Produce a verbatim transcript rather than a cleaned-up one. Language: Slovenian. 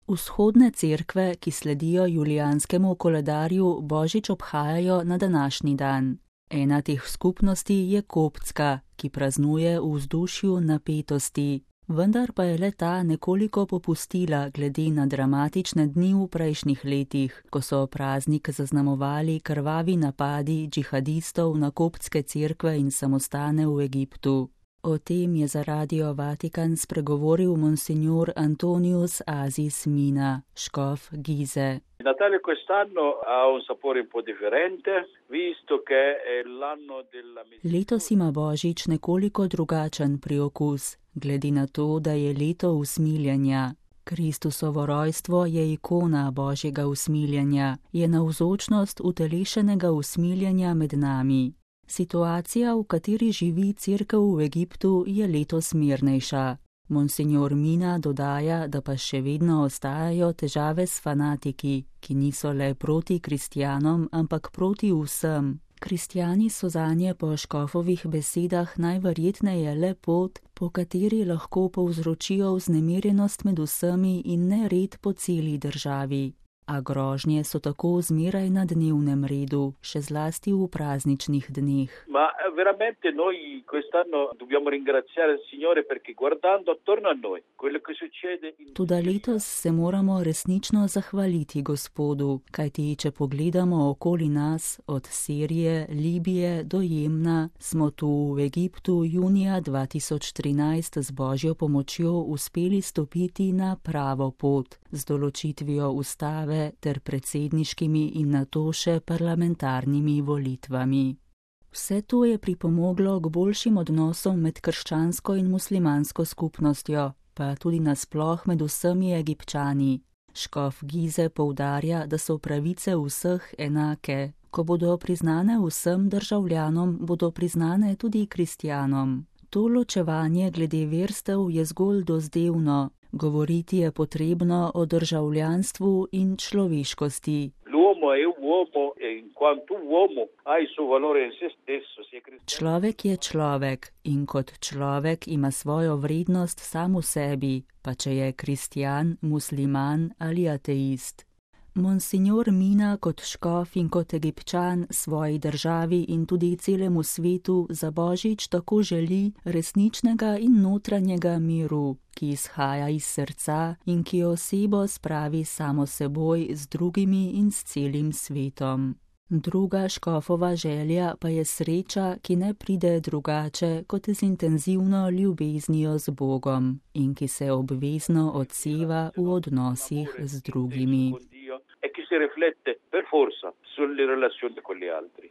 Vzhodne cerkve, ki sledijo julijanskemu koledarju, Božič obhajajo na današnji dan. Ena teh skupnosti je koptska, ki praznuje v vzdušju napetosti, vendar pa je le ta nekoliko popustila glede na dramatične dni v prejšnjih letih, ko so praznik zaznamovali krvavi napadi džihadistov na koptske cerkve in samostane v Egiptu. O tem je za Radio Vatikan spregovoril monsignor Antonius Asis Mina, škof Gize. Natale quest'anno ha un sapore un po' differente, visto che è l'anno della... Letos ima Božič nekoliko drugačen priokus, glede na to, da je leto usmiljenja. Kristusovo rojstvo je ikona Božjega usmiljenja, je navzočnost utelešenega usmiljenja med nami. Situacija, v kateri živi cerkev v Egiptu, je letos mirnejša. Monsignor Mina dodaja, da pa še vedno ostajajo težave s fanatiki, ki niso le proti kristjanom, ampak proti vsem. Kristjani so zanje po škofovih besedah najverjetneje le pot, po kateri lahko povzročijo vznemirjenost med vsemi in nered po celi državi. A grožnje so tako zmeraj na dnevnem redu, še zlasti v prazničnih dneh. Ma veramente noi quest'anno dobbiamo ringraziare il Signore perché guardando attorno a noi quello che succede in... Toda letos se moramo resnično zahvaliti Gospodu, kajti če pogledamo okoli nas, od Sirije, Libije do Jemna, smo tu v Egiptu junija dva tisoč trinajst z Božjo pomočjo uspeli stopiti na pravo pot, z določitvijo ustave ter predsedniškimi in nato še parlamentarnimi volitvami. Vse to je pripomoglo k boljšim odnosom med krščansko in muslimansko skupnostjo, pa tudi nasploh med vsemi Egipčani. Škof Gize poudarja, da so pravice vseh enake. Ko bodo priznane vsem državljanom, bodo priznane tudi kristjanom. To ločevanje glede verstev je zgolj dozdevno. Govoriti je potrebno o državljanstvu in človeškosti. Človek je človek in kot človek ima svojo vrednost sam v sebi, pa če je kristjan, musliman ali ateist. Monsignor Mina kot škof in kot Egipčan svoji državi in tudi celemu svetu za Božič tako želi resničnega in notranjega miru, ki izhaja iz srca in ki osebo spravi samo seboj z drugimi in s celim svetom. Druga škofova želja pa je sreča, ki ne pride drugače kot z intenzivno ljubeznijo z Bogom in ki se obvezno odseva v odnosih z drugimi. E che si riflette per forza sulle relazioni con gli altri.